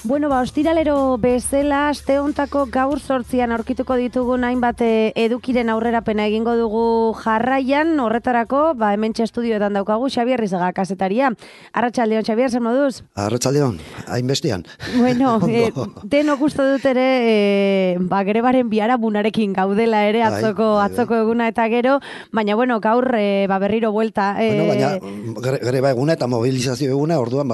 Bueno, ostiralero bezala, aste hontako gaur 8an aurkituko ditugun hainbat edukiren aurrerapena egingo dugu jarraian, horretarako, hementxe estudioetan daukagu Xabier Rizaga kazetaria. Arratsaldeon, Xabier, zer moduz? Arratsaldeon, hainbestean. Bueno, denok uste dut ere, grebaren biharamunarekin gaudela ere, atzoko eguna eta gero, baina, bueno, gaur berriro buelta. Baina, greba eguna eta mobilizazio eguna, orduan,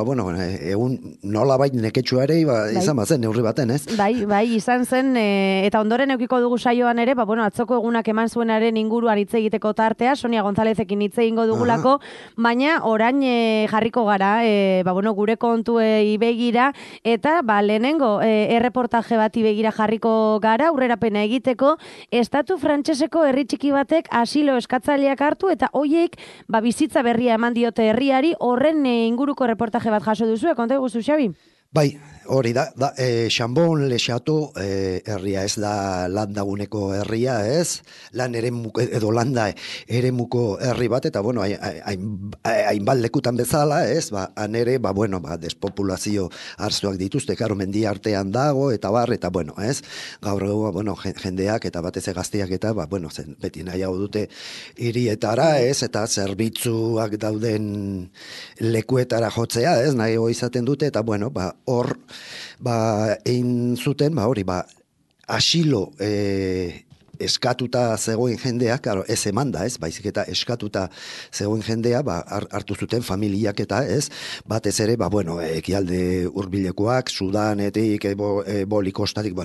egun nolabait neketsua ere, izan bazen, neurri baten, ez? Bai, izan zen, eta ondoren eukiko dugu saioan ere, atzoko egunak eman zuenaren inguruan hitz egiteko tartea, Sonia Gonzalezekin hitz egingo dugulako, baina orain jarriko gara, gure kontuei begira, eta lehenengo erreportaje bati begira jarriko gara, aurrerapena egiteko, estatu frantseseko herri txiki batek asilo eskatzaileak hartu, eta hoiek bizitza berria eman diote herriari, horren inguruko reportaje bat jaso duzu, konta guzu, Xabi? Bai, hori da, Xambon Lexato herria, ez da landaguneko herria, ez? Lan edo landa eremuko herri bat, eta hainbat lekutan bezala, ez? Han ere, despopulazio arzuak dituzte, karo mendia artean dago, eta ez? Gaur egun, jendeak eta batez gazteak eta, beti nahiago dute hirietara, ez? Eta zerbitzuak dauden lekuetara jotzea, ez? Nahiago izaten dute, eta hor, egin zuten, asilo eskatuta zegoen jendea, ez emanda, ez, baizik eta eskatuta zegoen jendea, hartu zuten familiak eta, ez, batez ere, ekialde hurbilekoak, Sudanetik, Bolikostatik,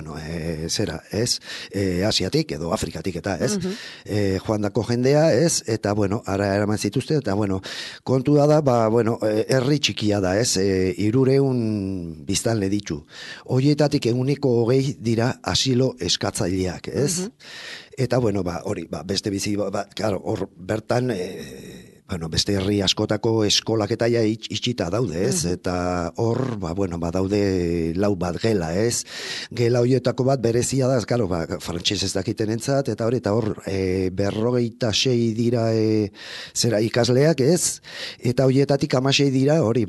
Asiatik edo Afrikatik eta, ez, joandako jendea, ez, eta, ara eraman zituzte, eta, kontua da, herri txikia da, ez, 300 biztanle ditu. Horietatik eguneko 20 dira asilo eskatzaileak, ez? Eta, hori, beste bizi, hor bertan, beste herri askotako eskolak eta itxita daude, ez? Eta hor, daude 4 bat gela, ez? Gela horietako bat berezia da, frantses ez dakiten entzat, eta hor, 56 dira ikasleak, ez? Eta horietatik 16 dira, hori,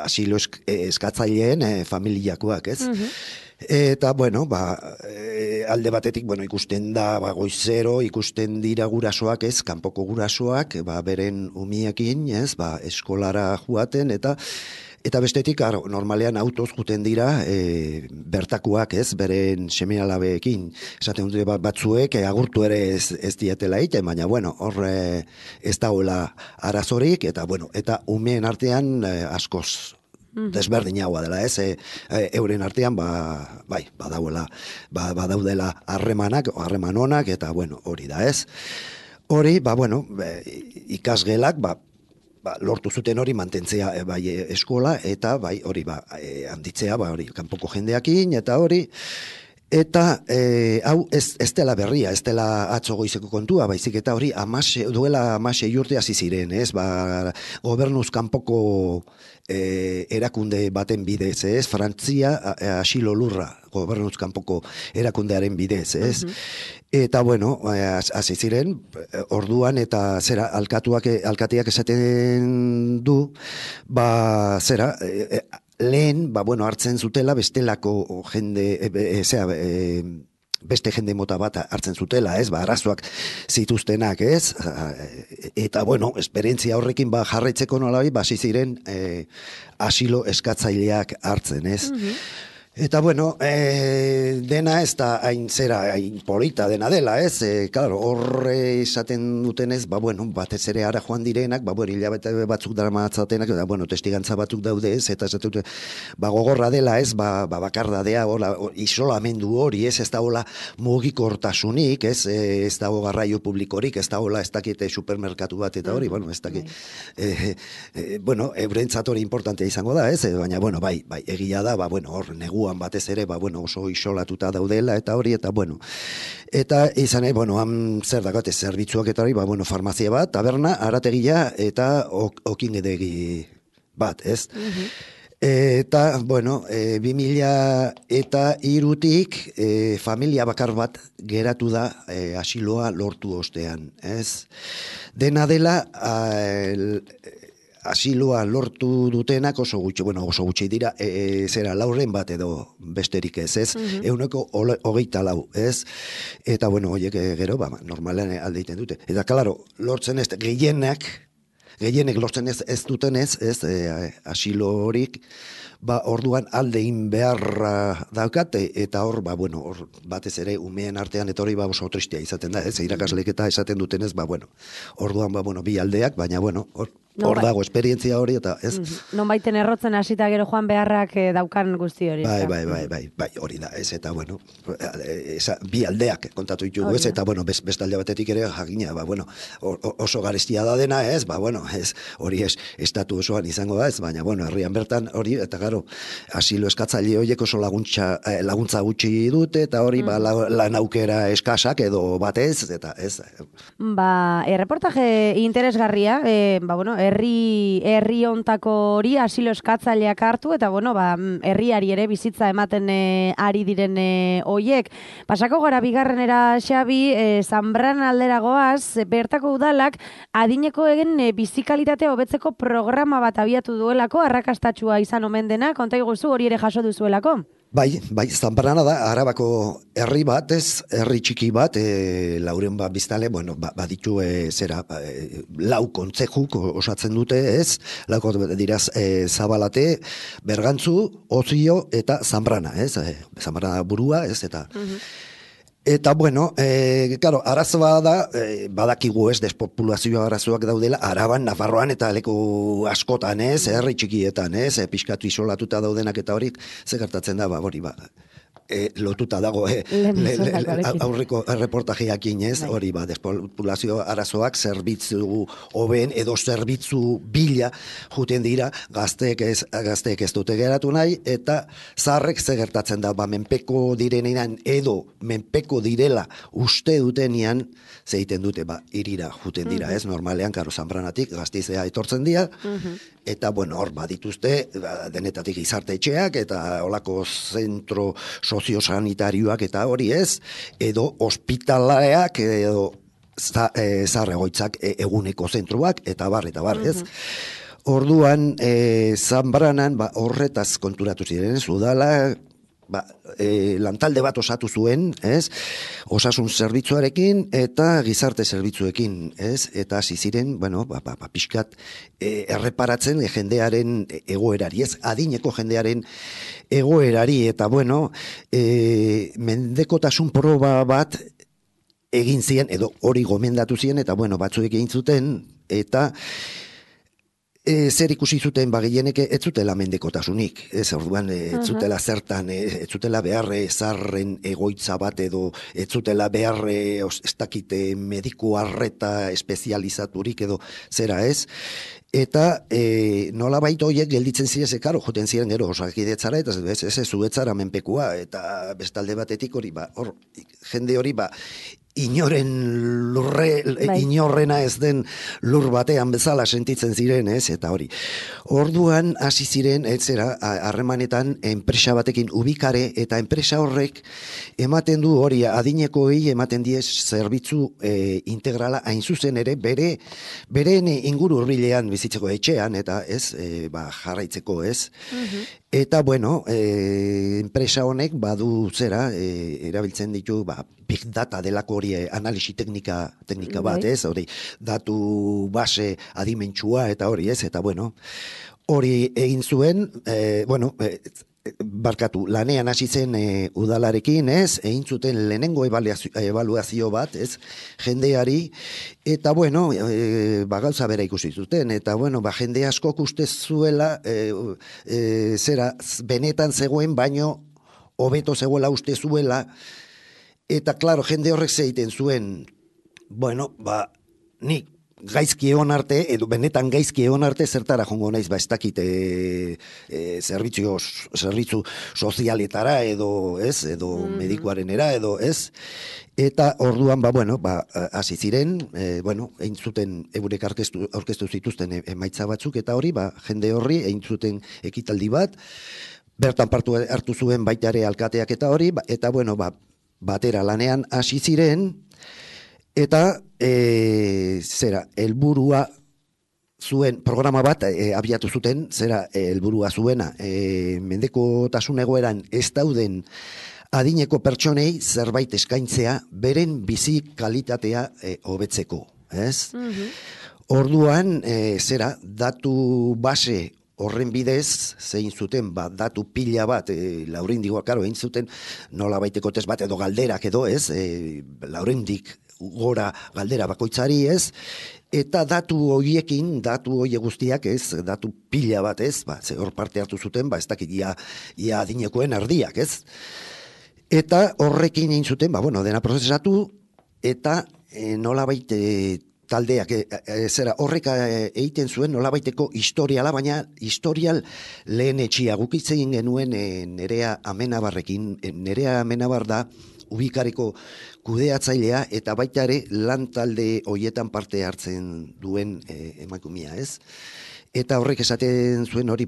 asilo eskatzaileen familiakoak, ez? Eta, alde batetik, ikusten da, goizero, ikusten dira gurasoak, ez, kanpoko gurasoak, beren umiekin, ez, eskolara joaten, eta bestetik, normalean autoz juten dira, bertakuak, ez, beren seme-alabeekin. Esaten dute batzuek, agurtu ere ez dietela egiten, baina, hor ez dagoela arazorik, eta umeen artean askoz desberdinagoa dela, ez, euren artean, badaudela harreman onak, eta, hori da, ez. Hori, ikasgelak, lortu zuten hori mantentzea eskola, eta, hori, handitzea, kanpoko jendeakin, eta hori, eta hau ez dela berria, ez dela atzo goizeko kontua, baizik eta hori duela 16 urte hasi ziren, ez, gobernuz kanpoko erakunde baten bidez, ez, Frantzia asilo lurra, gobernuz kanpoko erakundearen bidez, ez, eta hasi ziren, orduan, eta alkateak esaten du, lehen, hartzen zutela bestelako jende, beste jende mota bat hartzen zutela, ez, arazoak zituztenak, ez, eta, esperientzia horrekin jarraitzeko nolabi, hasi ziren asilo eskatzaileak hartzen, ez. Eta, dena ez da hain polita dena dela, ez? Horre esaten dutenez, batez ere ara joan direnak, hilabete batzuk daramatzatenak, testigantza batzuk daude, ez? Eta esaten dute, gogorra dela, ez? Bakardadea, isolamendu hori, ez? Ez da hola mugikortasunik, ez? Ez da garraio publikorik, ez da hola ez dakite supermerkatu bat, eta hori, ez dakit. Eurentzat hori importantea izango da, ez? Baina, bai, egia da, hor neguan batez ere, oso isolatuta daudela, eta hori, eta eta izan, han zer dagote zerbitzuak eta hori, farmazia bat, taberna, arategia, eta okingedegi bat, ez? Eta, 2003-tik familia bakar bat geratu da asiloa lortu ostean, ez? Dena dela, asiloa lortu dutenak oso gutxi dira, zera lauren bat edo besterik ez, euneko 24, ez? Eta, bueno, horiek gero, normalean alde egiten dute. Eta, klaro, lortzen ez, gehienek lortzen ez dutenez, ez, asilo horik, orduan aldein beharra daukate, eta hor, hor batez ere umeen artean, eta hori oso tristea izaten da, ez, irakaslek eta esaten dutenez, orduan, bi aldeak, baina, hor dago esperientzia hori, eta ez. Non baiten errotzen hasita gero joan beharrak daukan guzti hori. Bai, hori da, ez, eta, bi aldeak kontatu ditugu, ez, eta, bestalde batetik ere, jakina, oso garestia da dena, ez, ez, hori estatu osoan izango da, ez, baina, herrian bertan hori, eta garo, asilo eskatzaile horiek oso laguntza gutxi dute, eta hori, lan aukera eskasak edo batez, eta ez. Erreportaje interesgarria, herri ontako hori asilo eskatzaileak hartu, eta herriari ere bizitza ematen ari diren hoiek. Pasako gara bigarrenera, Xabi, Zanbran alderagoaz, bertako udalak adineko egen bizikalitatea hobetzeko programa bat abiatu duelako, arrakastatsua izan omen dena, konta iguzu hori ere jaso duzuelako? Bai, Zanbrana da, Arabako herri bat, ez, herri txiki bat, lauren biztale, baditu lau kontzejuk osatzen dute, ez, lauko diraz Zabalate, Bergantzu, Ozio eta Zanbrana, ez, Zanbrana burua, ez, eta... Eta, claro, arazoa da, badakigu ez, despopulazioa arazoak daudela, Araban, Nafarroan eta leku askotan ez, herri txikietan ez, pixkatu isolatuta daudenak eta horik, gertatzen da, lotuta dago aurreko reportajeakin ez, hori despopulazio arazoak zerbitzu hoben edo zerbitzu bila juten dira, gazteek ez dute geratu nahi, eta zaharrek gertatzen da, menpeko direnean edo menpeko direla uste dutenian, zeiten dute, irira juten dira, ez, normalean, karo, Zanbranatik Gastizea etortzen dira, eta, hor badituzte, denetatik izarte etxeak, eta olako zentro soziosanitarioak eta hori ez, edo ospitaleak, edo zaharregoitzak eguneko zentruak, eta bar, ez. Orduan, Zanbranan, horretaz konturatu ziren, ez, udala, lantalde bat osatu zuen, ez, osasun zerbitzuarekin eta gizarte zerbitzuekin, ez, eta hasi ziren, pixkat erreparatzen jendearen egoerari, ez, adineko jendearen egoerari, eta mendekotasun proba bat egin zien, edo hori gomendatu zien, eta batzuek egin zuten, eta zer ikusi zuten gehienek ez zutela mendekotasunik, ez orduan ez zutela zertan, ez zutela beharre zarren egoitza bat edo ez zutela beharre ez dakite mediku arreta espezializaturik edo zera ez, eta nola baita horiek gelditzen ziren, karo, joten ziren gero osakidetzara, eta ez zuetzara menpekua, eta bestalde batetik hori, hor, jende hori, inorrena ez den lur batean bezala sentitzen ziren, ez, eta hori. Orduan hasi ziren, harremanetan enpresa batekin ubikare, eta enpresa horrek ematen du hori, adinekoei ematen diez zerbitzu integrala hain zuzen ere, beren inguru hurbilean bizitzeko etxean, eta ez, jarraitzeko, ez. Eta, enpresa honek badu erabiltzen ditu, big data delako hori analisi teknika bat, ez, hori, datu base adimentsua eta hori, ez, eta, hori egin zuen, lanean hasi zen udalarekin, ez, egin zuten lehenengo ebaluazio bat, ez, jendeari, eta, gauza bera ikusi zuten, eta, jende askok uste zuela, benetan zegoen, baino, hobeto zegoela uste zuela, eta, klaro, jende horrek zeiten zuen, nik gaizki egon arte, edo benetan gaizki egon arte, zertara jongo naiz, ez dakit zerbitzu sozialetara, edo, ez, edo medikuarenera, edo, ez, eta orduan, hasi ziren, egin zuten, eurek aurkeztu zituzten emaitza batzuk, eta hori, jende horri, egin zuten ekitaldi bat, bertan hartu zuen baita ere alkateak eta hori, eta, batera lanean hasi ziren, eta helburua zuen programa bat abiatu zuten, zera helburua zuena, mendekotasun egoeran ez dauden adineko pertsonei zerbait eskaintzea beren bizi kalitatea hobetzeko, ez? Orduan, zera, datu base horren bidez, zein zuten, datu pila bat, Laurindik, karo, egin zuten, nola baiteko test bat edo galderak edo, ez? Laurindik gora galdera bakoitzari, ez? Eta datu horiekin, datu hoie guztiak, ez? Datu pila bat, ez? Ze hor parte hartu zuten, ez dakit, ia adinekoen erdiak, ez? Eta horrekin egin zuten, dena prozesatu, eta nolabait taldeak, zera horrek egiten zuen nolabaiteko historiala, baina historial lehen etxia gukitzen genuen Nerea Amenabarrekin. Nerea Amenabar da Ubikareko kudeatzailea eta baita ere lan talde hoietan parte hartzen duen emakumea, ez? Eta horrek esaten zuen hori,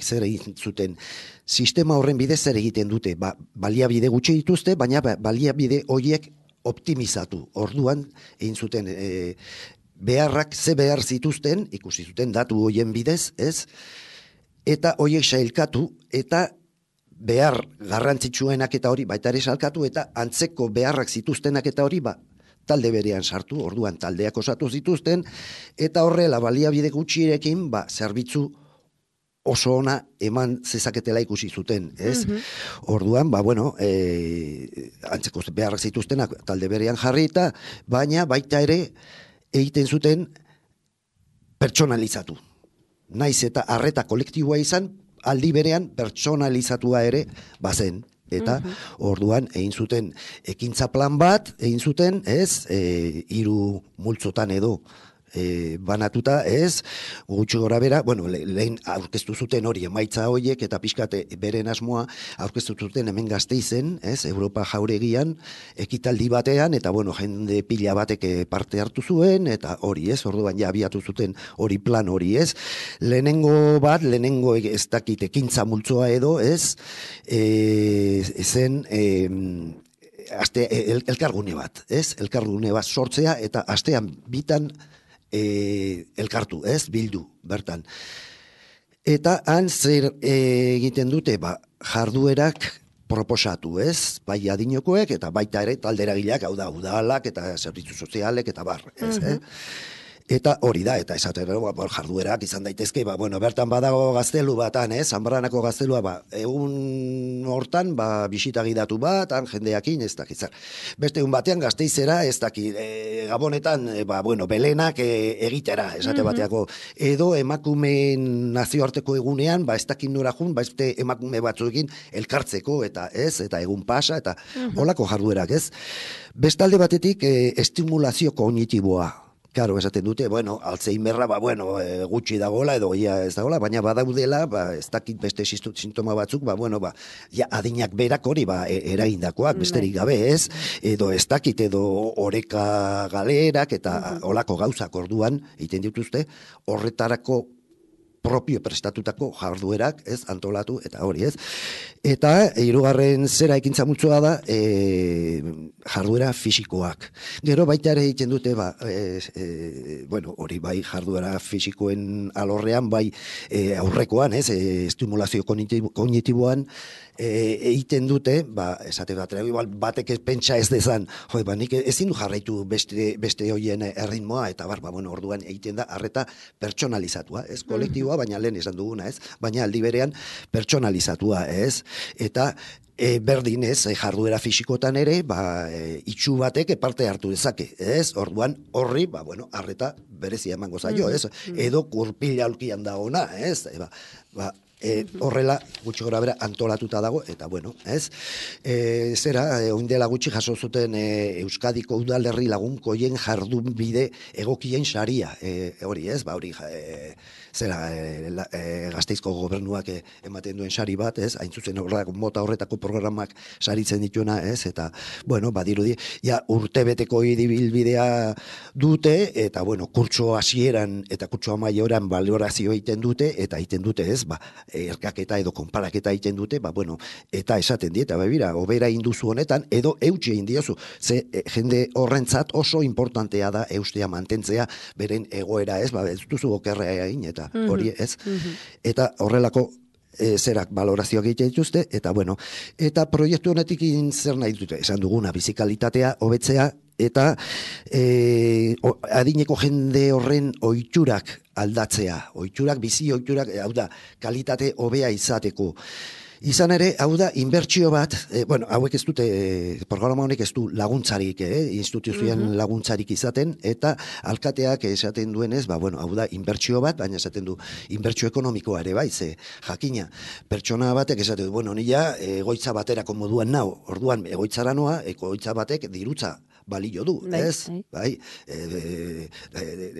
zer egiten zuten, sistema horren bidez zer egiten dute, baliabide gutxi dituzte, baina baliabide horiek optimizatu. Orduan, egin zuten beharrak ze behar zituzten, ikusi zuten datu horien bidez, ez? Eta horiek sailkatu, eta behar garrantzitsuenak eta hori, baita ere salkatu, eta antzeko beharrak zituztenak eta hori, talde berean sartu, orduan taldeak osatu zituzten, eta horrela baliabide gutxirekin, zerbitzu oso ona eman zezaketela ikusi zuten, ez? Orduan, antzeko beharrak zituztenak talde berean jarrita, baina baita ere egiten zuten pertsonalizatu. Naiz eta arreta kolektiboa izan, aldi berean pertsonalizatua ere bazen. Eta orduan egin zuten ekintza plan bat, egin zuten, ez, 3 multzotan edo banatuta, ez, gutxi gora bera, lehen aurkeztu zuten hori emaitza horiek, eta pixkate beren asmoa aurkeztu zuten hemen Gasteizen, ez, Europa jauregian, ekitaldi batean, eta jende pila batek parte hartu zuen, eta hori, ez, orduan ja abiatu zuten hori plan hori, ez, lehenengo ez dakit ekintza multzoa edo, ez, zen elkargune bat, ez, elkargune bat sortzea, eta astean bitan elkartu, ez, bildu, bertan. Eta han zer egiten dute, jarduerak proposatu, ez, bai adinokoek, eta baita ere talderagileak, hau da, udalak, eta zerbitzu sozialek, eta bar, ez, Eta hori da, eta esatero, jarduerak izan daitezke, bertan badago gaztelu batan, Zanbarranako gaztelua, egun hortan, bisita gidatu bat, han jendeakin, ez dakizar. Beste egun batean Gasteizera, ez dakit, Gabonetan, belenak egitera, esate bateako, edo emakumeen nazioarteko egunean, ez dakit nora jun, beste emakume batzuekin elkartzeko, eta ez, eta egun pasa, eta holako jarduerak, ez. Bestalde batetik, estimulazio kognitiboa. Karo, esaten dute, Alzheimerra, gutxi dagoela, edo ia ez dagoela, baina badaudela, ez dakit beste sintoma batzuk, adinak berak hori, eragindakoak, besterik gabe, ez, edo ez dakit, edo oreka galerak, eta olako gauzak orduan, egiten dituzte, horretarako propio prestatutako jarduerak, ez, antolatu, eta hori, ez. Eta, hirugarren zera ekintza multzoa da, jarduera fisikoak. Gero baita ere egiten dute, hori bai jarduera fisikoen alorrean, bai aurrekoan, ez, estimulazio kognitiboan, egiten dute, esate batek pentsa ez dezan, nik ezin du jarraitu beste hoien erritmoa, eta orduan egiten da arreta pertsonalizatua, ez, kolektiboa, baina lehen esan duguna, ez, baina aldi berean pertsonalizatua, ez, eta berdin ez, jarduera fisikotan ere, itxu batek parte hartu dezake, ez, orduan horri, arreta berezia emango zaio, ez, edo kurpila aulkian da ona, ez, horrela gutxi gora bera antolatuta dago, eta ez, oindela gutxi jaso zuten Euskadiko udalerri lagunkoien jardun bide egokien saria, hori ez, hori Gasteizko gobernuak ematen duen sari bat, ez, hain zuzen mota horretako programak saritzen dituena, ez, eta, badirudi, urtebeteko ibilbidea dute, eta, kurtso hasieran eta kurtso amaioran balorazio egiten dute, eta egiten dute, ez, erkaketa edo konparaketa egiten dute, bueno, eta esaten dieta, bera, obera induzu honetan, edo eutxe indiozu. Ze jende horrentzat oso importantea da eustea mantentzea, beren egoera ez, ez duzu okerrea egin, eta hori ez. Eta horrelako zerak balorazioak egiten dituzte, eta bueno, eta proiektu honetik zer nahi dute, esan duguna, bizikalitatea, hobetzea, eta adineko jende horren ohiturak aldatzea, bizi ohiturak, hau da, kalitate hobea izateko. Izan ere, hau da, inbertsio bat, hauek ez dute, programa honek ez du laguntzarik, instituzioen laguntzarik izaten, eta alkateak esaten duenez, hau da, inbertsio bat, baina esaten du, inbertsio ekonomikoa ere bai, ze jakina, pertsona batek esaten du, nila egoitza baterako moduan nau, orduan egoitzara noa, egoitza batek dirutza balio du, ez? Bai,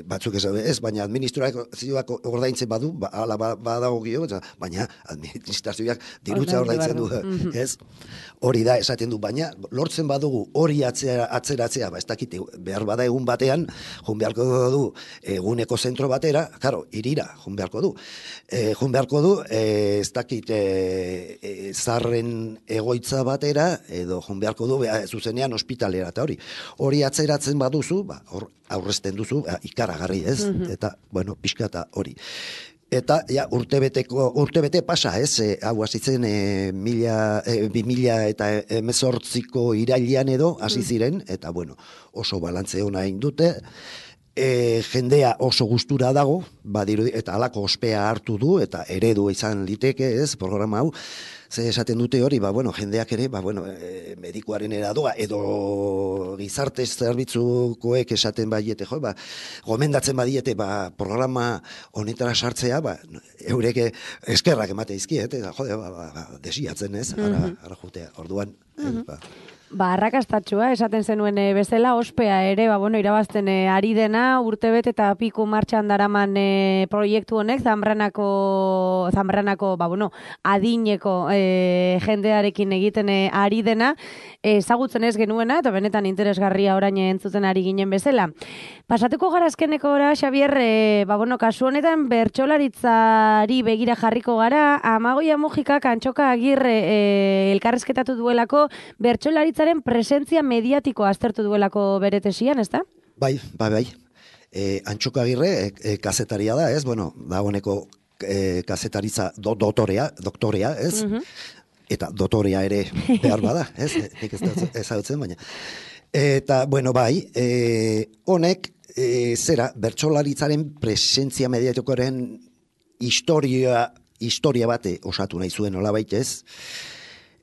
batzuk ez, baina administrazioak ordaintzen badu, ala badago gio, baina administrazioak dirutza ordaintzen du, ez? Hori da, esaten du, baina lortzen badugu hori atzeratzea, ez dakit, behar bada egun batean, jun beharko du eguneko zentro batera, karo, irira, jun beharko du. Jun beharko du, ez dakit, zarren egoitza batera, edo jun beharko du, zuzenean ospitalera, eta hori atzeratzen baduzu, hor aurrezten duzu, ikaragarri ez, eta, pixka eta hori. Eta, urtebete pasa, ez, hau hasitzen 2018ko irailean edo, hasi ziren, eta, oso balantze hona egin dute, jendea oso gustura dago, eta halako ospea hartu du, eta eredu izan liteke, ez, programa hau, ze esaten dute hori, jendeak ere, medikuaren eradoa, edo gizarte zerbitzukoek esaten badiete, gomendatzen badiete, programa honetara sartzea, eurek eskerrak emate izkiet, desiatzen ez, ara jutea, orduan, arrakastatxua, esaten zenuen bezala, ospea ere, irabazten ari dena, urtebet eta piku martxan daraman proiektu honek, Zanbranako, adineko jendearekin egiten ari dena, ezagutzen ez genuena, eta benetan interesgarria orain entzuten ari ginen bezala. Pasatuko gara azkenekora, Xabier, kasu honetan bertsolaritzari begira jarriko gara, Amagoia Mujikak Antxoka Agirre elkarrezketatu duelako bertsolaritzaren presentzia mediatikoa aztertu duelako bere tesian, ez da? Bai. Antxoka Agirre kazetaria da, ez? Dagoeneko kazetaritza doktorea, ez? Eta dotorea ere behar bada, ez? Nik ez hautzen, baina. Eta, honek, bertsolaritzaren presentzia mediatikoaren historia bate osatu nahi zuen olabait, ez?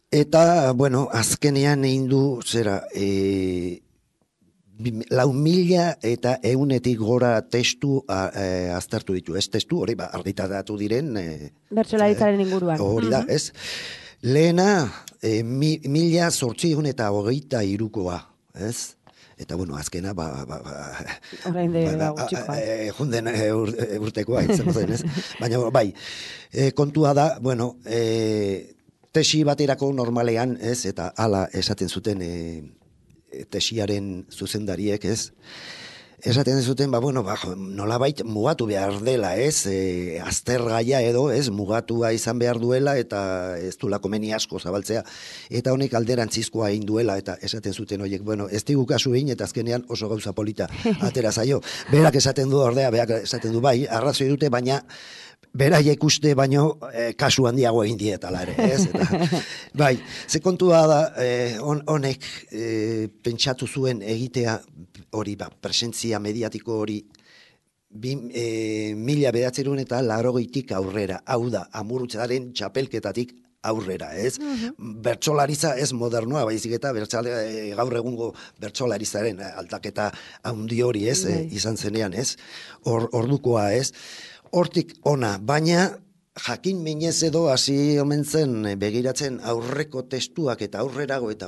Eta, azkenean egin du, 4.000 eta 100 gora testu aztertu ditu. Ez testu, hori argitaratu diren... bertsolaritzaren inguruan. Hori da, ez? Lehena, 1.823koa, ez? Eta, azkena, orain de gutxikoa. Junden urtekoa, izango zen, ez? Baina, kontua da, tesi baterako normalean, ez? Eta hala esaten zuten tesiaren zuzendariek, ez? Esaten zuten, nolabait mugatu behar dela, ez? Aztergaia edo, ez? Mugatua izan behar duela, eta ez du komeni asko zabaltzea. Eta honek alderantzizkoa egin duela, eta esaten zuten horiek, ez digu kasu egin, eta azkenean oso gauza polita atera zaio. Berak esaten du ordea, berak esaten du bai, arrazoi dute, baina beraiek uste baino kasu handiago egin dietala ere, ez? Eta, ze kontua da, honek pentsatu zuen egitea hori, presentzia mediatiko hori 1980 aurrera, hau da, Amurrutzaren txapelketatik aurrera, ez? Bertsolaritza ez modernoa, baizik eta gaur egungo bertsolaritzaren aldaketa handi hori, ez? Izan zenean, ez? Ordukoa, ez? Hortik ona, baina jakin minez edo hasi omen zen begiratzen aurreko testuak eta aurrerago eta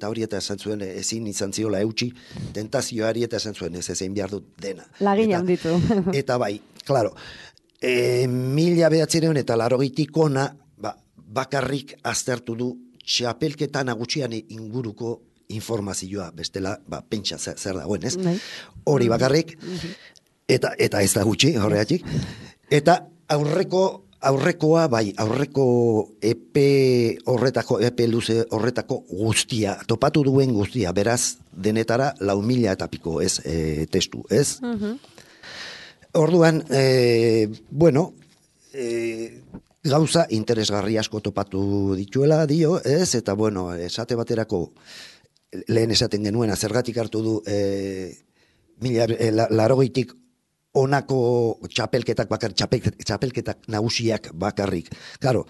hori eta esan zuen ezin izan ziola eutxi tentazioari eta esan zuen ez ezin behar dut dena. Lagina handitu. Eta bai, klaro, 1980 ona bakarrik aztertu du txapelketa nagusian inguruko informazioa, bestela, pentsa zer dagoen, ez? Hori bakarrik, eta ez da gutxi, horregatik. Eta aurreko aurrekoa, bai, aurreko epe luze horretako guztia, topatu duen guztia, beraz, denetara 4.000 eta piko, ez, testu, ez? Orduan, bueno, gauza interesgarri asko topatu dituela dio, ez? Eta, bueno, esate baterako, lehen esaten genuena, zergatik hartu du 80tik honako txapelketak txapelketak nagusiak bakarrik. Claro,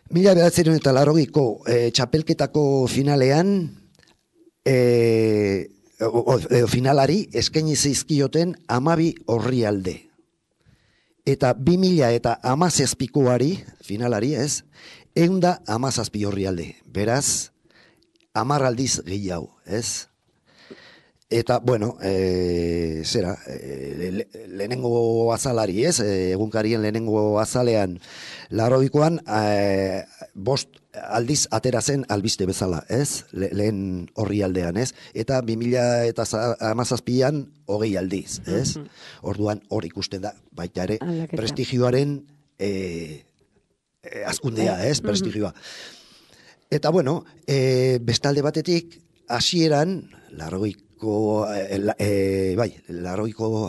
1980ko txapelketako finalean finalari eskaini zizkioten 12 orrialde. Eta 2017koari, finalari ez, 117 orrialde. Beraz, 10 aldiz gehiago, ez? Eta, bueno, lehenengo azalari, ez? Egunkarien lehenengo azalean, 80koan, 5 aldiz atera zen albiste bezala, ez? Lehen horri aldean, ez? Eta 2017an 20 aldiz, ez? Orduan hor ikusten da, baita ere, prestigioaren azkundea, ez? Prestigioa. Eta, bueno, bestalde batetik, hasieran, 80ko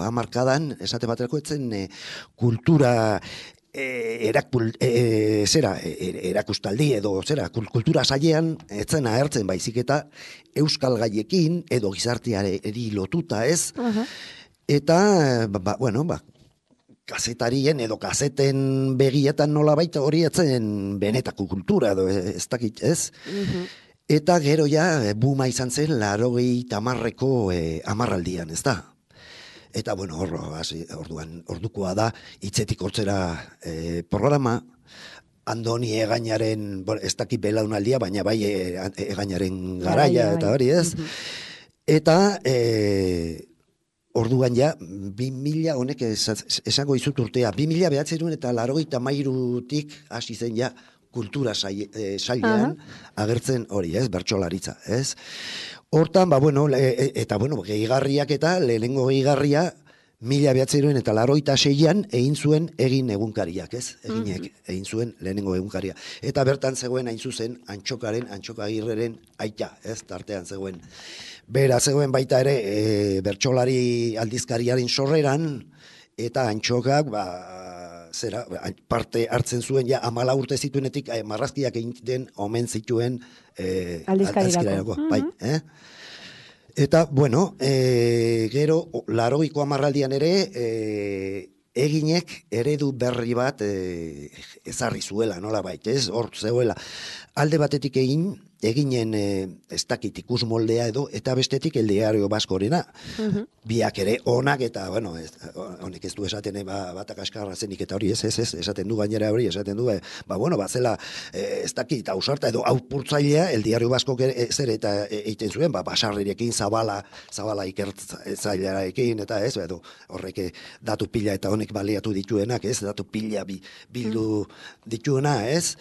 hamarkadan, esate baterako etzen kultura erakustaldi edo kultura sailean etzen agertzen baizik eta euskal gaiekin edo gizarteari lotuta, ez? Eta, bueno, kazetarien edo kazeten begietan nola baita hori etzen benetako kultura edo ez dakit, ez? Eta gero ja, buma izan zen 80ko hamarraldian, ez da? Eta, bueno, ordukoa da, hitzetik hortzera programa, Andoni Egainaren, ez dakit belaunaldia, baina bai Egainaren garaia, eta hori, ez? Eta, orduan ja, 2000, honek esango izut urtea, 2000 eta 83tik hasi zen ja, kultura sailean agertzen hori, ez, bertsolaritza, ez? Hortan, bueno, eta, bueno, gehigarriak eta lehenengo gehigarria 1986an egin zuen egin egunkariak, ez? Egin zuen lehenengo egunkaria. Eta bertan zegoen hain zuzen Antxokagirreren aita, ez? Tartean zegoen. Bera zegoen baita ere bertsolari aldizkariaren sorreran, eta Antxokak, parte hartzen zuen, ja, 14 urte zituenetik marrazkiak egiten omen zituen aldizkarirako. Bai, Eta, bueno, gero, 80ko hamarraldian ere, eginek eredu berri bat ezarri zuela, nola baita, ez? Hor zegoela. Alde batetik eginen ez dakit ikus moldea edo, eta bestetik el diario baskorena. Biak ere onak eta, bueno, honek ez du esaten batak askarra zenik eta hori ez, esaten du gainera hori, esaten du, zela, ez dakit, ausarta edo aupurtzailea, el diario basko zer eta egiten zuen, basarrirekin, zabala ikertzailearekin, eta ez, edo horrek datu pila eta honek baliatu dituenak, ez, datu pila bildu dituena, ez,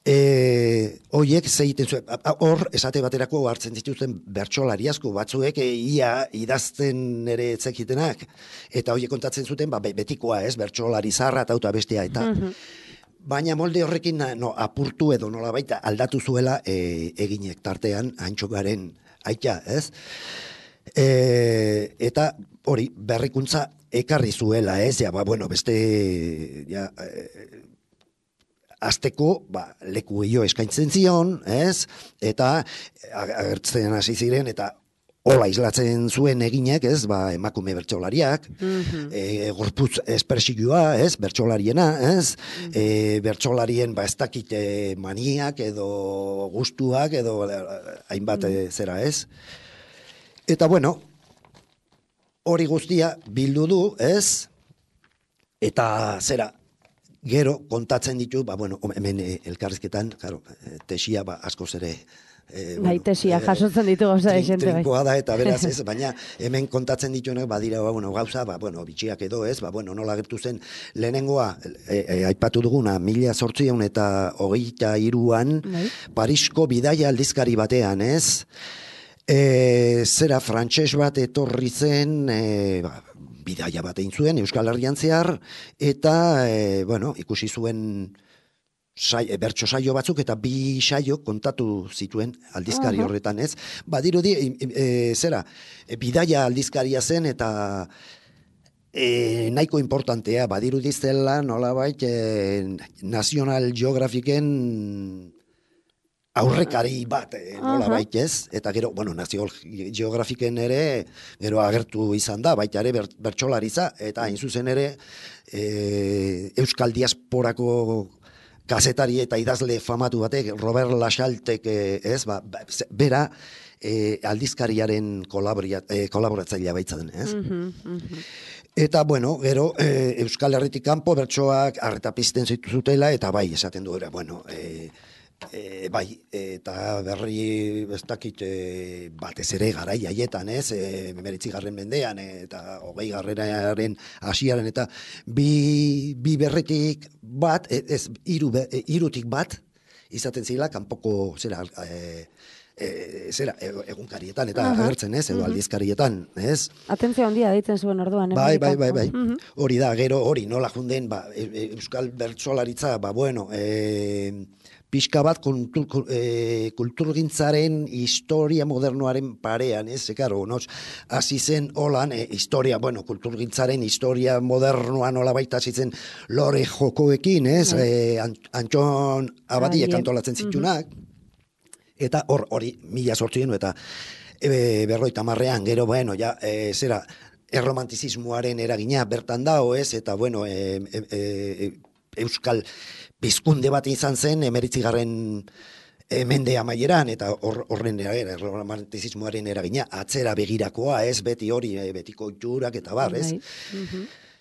Oiek zeiten zuen, hor esate baterako hartzen dituzten bertsolari asko batzuek ia idazten ere etzekitenak, eta oiek kontatzen zuten betikoa, ez, bertsolari zarra eta bestea, eta baina molde horrekin apurtu edo nola baita aldatu zuela eginek tartean Antxokaren aita, ez? Eta hori berrikuntza ekarri zuela, ez? Beste azteko, leku gehiago eskaintzen zion, ez? Eta agertzen hasi ziren, eta hola islatzen zuen eginek, ez? Emakume bertsolariak, gorputz espersigioa, ez? Bertsolariena, ez? Bertsolarien, ez dakit maniak, edo gustuak, edo hainbat zera, ez? Eta, bueno, hori guztia bildu du, ez? Eta zera, gero kontatzen ditu, hemen elkarrizketan, tesia askoz ere tesia jasotzen ditu gauza esente. Trinkoa da eta beraz ez, baina hemen kontatzen dituenak badira gauza, bitxiak edo ez, nola gertu zen lehenengoa, aipatu duguna, 1823an, Parisko bidaia aldizkari batean, ez? Zera frantses bat etorri zen, bidaia bat egin zuen Euskal Herrian zehar, eta, bueno, ikusi zuen bertso saio batzuk, eta 2 saio kontatu zituen aldizkari horretan, ez? Badirudi, bidaia aldizkaria zen, eta nahiko importantea, badirudi zela nolabait National Geographiken aurrekari bat, nolabait, ez? Eta gero, bueno, National Geographiken ere, gero agertu izan da, baita ere bertsolaritza, eta hain zuzen ere, Euskal Diasporako kazetari eta idazle famatu batek, Robert Laxaltek, ez, bera, aldizkariaren kolaboratzailea baitzen, ez? Eta, bueno, gero, Euskal Herritik kanpo bertsoak arreta pizten zutela, eta bai, esaten du, bueno, bai, eta berri ez dakit batez ere garai haietan, ez, 19. mendean, eta 20. hasiaren, eta bi berritik bat, ez, hirutik bat, izaten zila, kanpoko, egunkarietan, eta agertzen, ez, edo aldizkarietan, ez? Atentzio handia deitzen zuen orduan. Bai. Hori da, gero, hori nola junden, Euskal bertsolaritza, bueno, pixka bat kulturgintzaren historia modernoaren parean, ez, karo, hasi zen holan, historia, bueno, kulturgintzaren historia modernoa nola baita hasi zen lore jokoekin, ez, Antxon Abadiek antolatzen zitunak, eta hori 1800 eta 50 gero, bueno, ja, erromantizismoaren eragina bertan dago, ez, eta, bueno, Euskal pizkunde bat izan zen, 19. mende amaieran, eta horren erromantizismoaren eragina, atzera begirakoa, ez, beti hori, betiko itxurak eta bar, ez?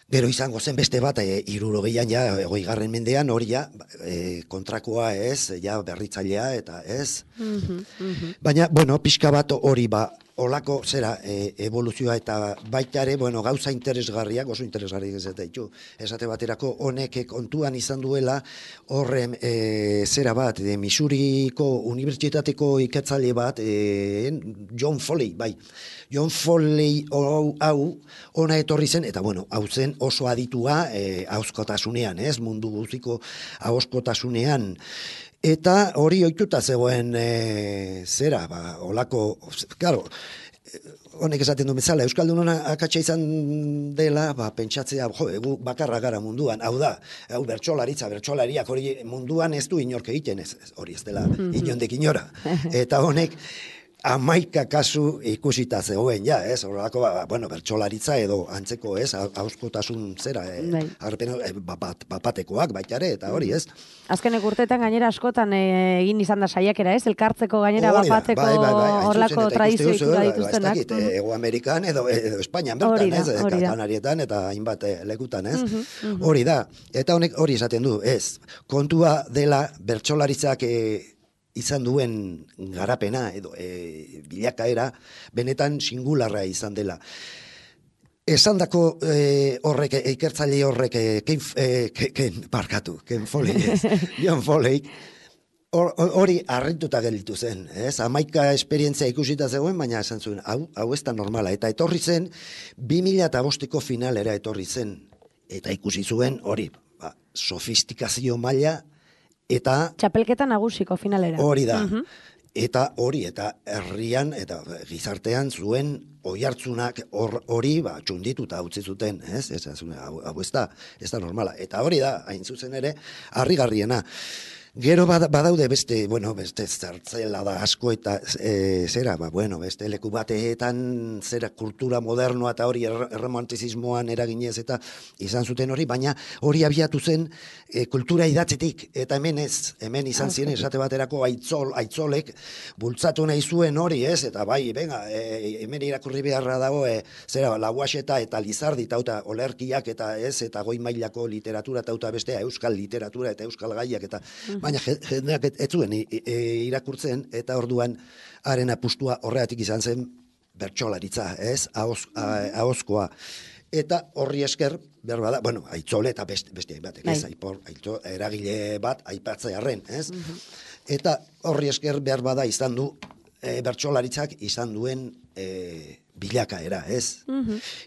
Gero izango zen beste bat, 60an, ja, 20. mendean, hori ja, kontrakoa, ez, ja, berritzailea, eta ez. Baina, bueno, pixka bat hori olako, evoluzioa, eta baita ere, bueno, gauza interesgarriak, oso interesgarriak ez ditu. Esate baterako, honek kontuan izan duela, horren, Missouriko unibertsitateko ikertzaile bat, John Foley, bai. John Foley hau, ona etorri zen, eta, bueno, hau zen oso aditua ahozkotasunean, ez? Mundu guztiko ahozkotasunean. Eta hori ohituta zegoen, olako, claro, honek esaten du bezala, Euskaldunona akatsa izan dela, pentsatzea, gu bakarra gara munduan, hau da, hau bertsolariak hori munduan ez du inork egiten, hori ez dela inondik inora. Eta honek, 11 kasu ikusita zegoen, ja, ez, horrelako, bueno, bertsolaritza edo antzeko, ez, ahozkotasun bapatekoak baita ere, eta hori, ez. Azkenek urteetan gainera askotan egin izan da saiakera, ez, elkartzeko gainera bapateko horrelako tradizio itura dituztenak. Ego Amerikan edo Espainian bertan, ez, Kanarietan eta hainbat lekutan, ez. Hori da, eta honek hori esaten du, ez, kontua dela bertsolaritzak izan duen garapena edo bilakaera benetan singularra izan dela. Esandako horrek, ikertzaile horrek, Ken Foley, John Foley, hori harrituta gelditu zen, ez? 11 esperientzia ikusita zegoen, baina esan zuen, hau ez da normala, eta etorri zen, 2005ko finalera etorri zen, eta ikusi zuen hori, sofistikazio maila, eta txapelketa nagusiko finalera. Hori da. Eta herrian eta gizartean zuen oihartzunak hori txundituta utzi zuten, ez? Hau ez da normala. Eta hori da, hain zuzen ere, harrigarriena. Gero badaude beste zertzela da asko eta beste leku bateetan kultura modernoa eta hori erromantizismoan eraginez eta izan zuten hori, baina hori abiatu zen kultura idatzetik, eta hemen izan ziren esate baterako aitzolek bultzatu nahi zuen hori, ez, eta bai, hemen irakurri beharra dago, Lauaxeta eta Lizardi eta olerkiak eta ez, eta goi mailako literatura eta bestea, euskal literatura eta euskal gaiak eta baina jendeak ez zuen irakurtzen, eta orduan haren apustua horregatik izan zen bertsolaritza, ez, ahozkoa. Eta horri esker, behar bada, aitzole eta beste batek, ez, eragile bat aipatzearren, ez? Eta horri esker behar bada izan du bertsolaritzak izan duen bilakaera, ez?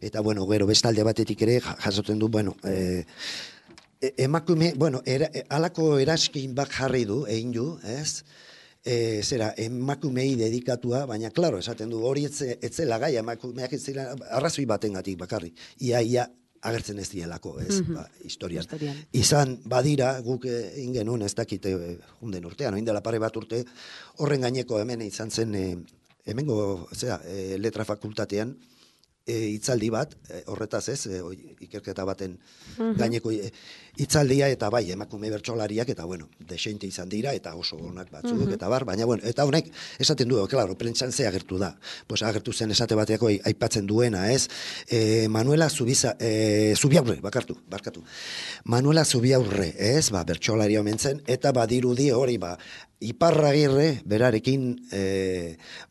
Eta, bueno, gero bestalde batetik ere jasotzen du, bueno, emakume, bueno, alako eraskin bat jarri du, egin du, ez? Zera, emakumei dedikatua, baina, klaro, esaten du, hori etzela gai, emakumeak etzela, arrazoi batengatik bakarrik. Ia agertzen ez dielako, ez, historian. Izan, badira, guk egin genuen, ez dakite, junden urtean, oin dela pare bat urte, horren gaineko hemen izan zen, hemengo, letra fakultatean, hitzaldi bat, horretaz ez, ikerketa baten gaineko hitzaldia, eta bai, emakume bertsolariak, eta bueno, desente izan dira, eta oso onak batzuk, eta bar, baina bueno, eta honek esaten du, klaro, prentsan ze agertu da. Pues agertu zen esate bateako aipatzen duena, ez? Manuela Zubiaurre, barkatu. Manuela Zubiaurre, ez? Bertsolari omen zen, eta badirudi hori, Iparragirre berarekin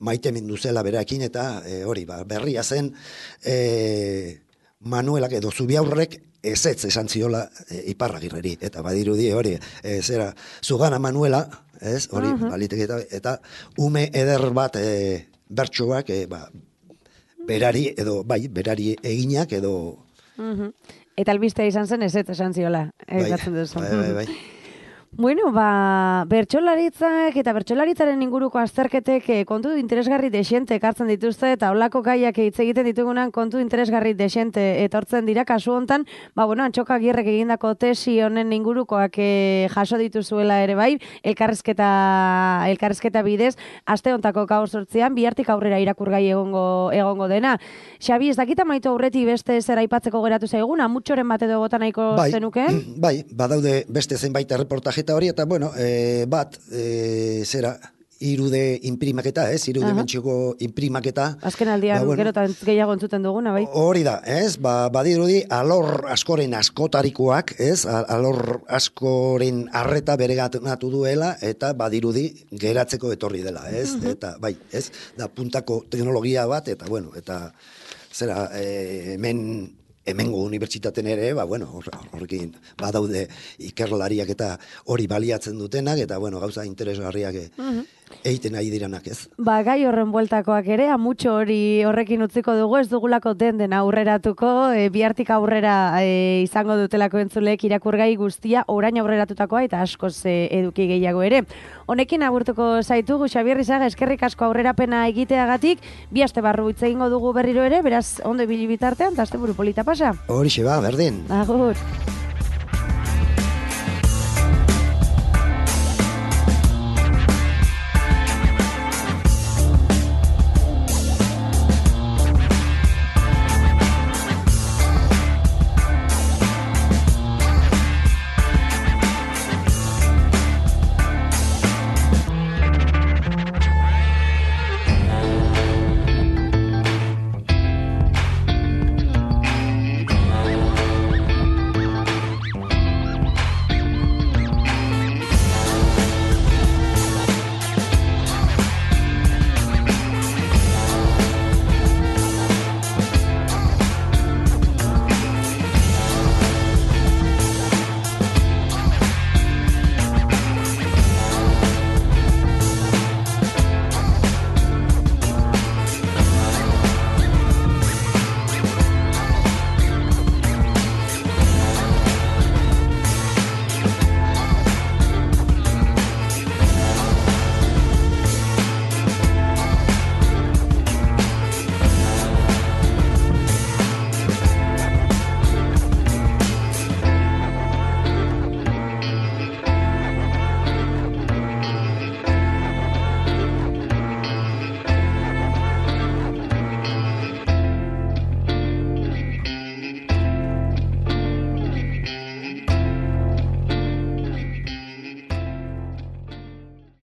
maite mindu zela berarekin, eta hori, berria zen Manuelak edo Zubiaurrek ezetz esan ziola Iparragirreri, eta badirudi hori, zera, zugana Manuela, ez, hori, baliteke, eta ume eder bat bertsoak, berari eginak edo... Eta albistea izan zen ezetz esan ziola, egatzen duzu. Bai. Bueno, bertsolaritzak eta bertsolaritzaren inguruko azterketek kontu interesgarri desente ekartzen dituzte, eta holako gaiak hitz egiten ditugunan kontu interesgarri desente etortzen dira. Kasu hontan, Antxoka Agirrek egindako tesi honen ingurukoak jaso dituzuela ere bai, elkarrizketa bidez, aste hontako gau 8an, bihartik aurrera irakurgai egongo dena. Xabi, ez dakita maitu aurretik beste zer aipatzeko geratu zaigun, amutxoren bat edo bota nahiko zenukeen? Bai, badaude beste zenbait erreportaje eta hori, eta bueno, irude imprimaketa, irude mentxiko imprimaketa. Azken aldian, gero eta gehiago entzuten duguna, bai? Hori da, badirudi alor askoren askotarikoak, alor askoren arreta bereganatu duela, eta badirudi geratzeko etorri dela, eta bai, da puntako teknologia bat, eta bueno, eta hemengo unibertsitaten ere, horrekin badaude ikerlariak eta hori baliatzen dutenak, eta gauza interesgarriak egiten nahi diranak, ez? Gai horren bueltakoak ere, amutxo hori horrekin utziko dugu, ez dugulako den aurreratuko, bihartik aurrera izango dutelako entzuleek irakurgai guztia, orain aurreratutakoa eta askoz eduki gehiago ere. Honekin agurtuko zaitugu, Xabier Rizaga, eskerrik asko aurrerapena egiteagatik, bi aste barru hitz egingo dugu berriro ere, beraz, ondo ibili bitartean, eta asteburu polita pasa. Horixe berdin. Agur.